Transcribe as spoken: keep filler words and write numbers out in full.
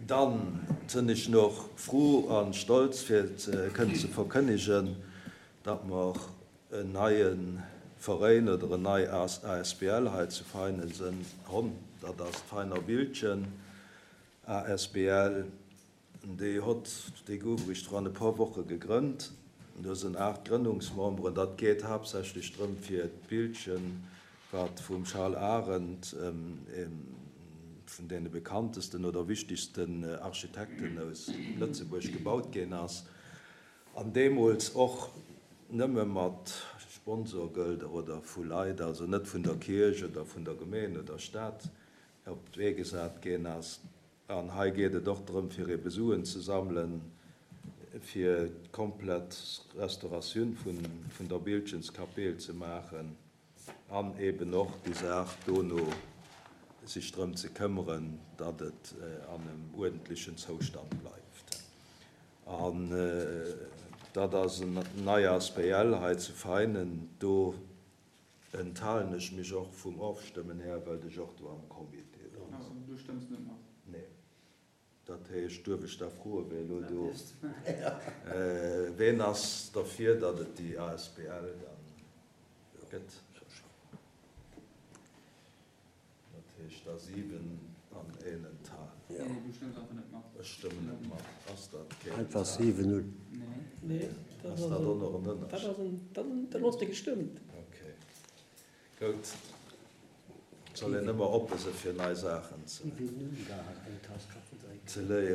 Dann sënn ech noch fru an stolz fir kënnen ze verkënnegen, datt mer en neie Veräin oder en nei A S B L hei zu Veinen sënn honn. Dat ass d'Veiner Bildchen A S B L. Déi hott, déi gouf eréischt vrun e puer Woche gegrënnt. Do sënn aacht Grënnungsmemberen. Dat geet haaptsächlech drëm fir d'Bildchen, wat vum Charles Arendt, ee vun deene bekanntesten oder wichtigsten Architekten aus Lëtzebuerg, gebaut ginn ass, an deemools och nëmme mat Sponsorgelder oder vu Leit, also net vun der Kierch oder vun der Gemeen oder Stad, op d'Wee gesat ginn ass. An hei geet et och drëm fir ebe Suen ze sammelen, fir d'komplett Restauratioun vun vun der Bildchenskapell ze maachen an eben och déi Saach dono sech drëm ze këmmeren, datt et an em uerdentlechen Zoustand bleift. An dat ass en nei A S B L hei zu Veinen. Do enthalen ech mech och vum Ofstëmmen her, well ech och do am Comité dran sinn. Du stëmms net mat? Nee. Dat heescht, duerf ech da froen, wee elo do, ween ass derfir, datt et déi A S B L dann gëtt? Dat heescht da siwen an een enthalen. Nee, du stëmms einfach net mat. Ech stëmmen net mat. Ass dat keen Einfach Enthalen? siwen null. Nee. Nee, dat Ass ass dat och en, nach en dat Ënnerscheed? ass en, dat dat hues de gestëmmt. Okay. Goud. Soll een ëmmer oppe sinn fir nei Saachen ze Wéi vill Null da eng Tass Kaffi drénken? ze léieren.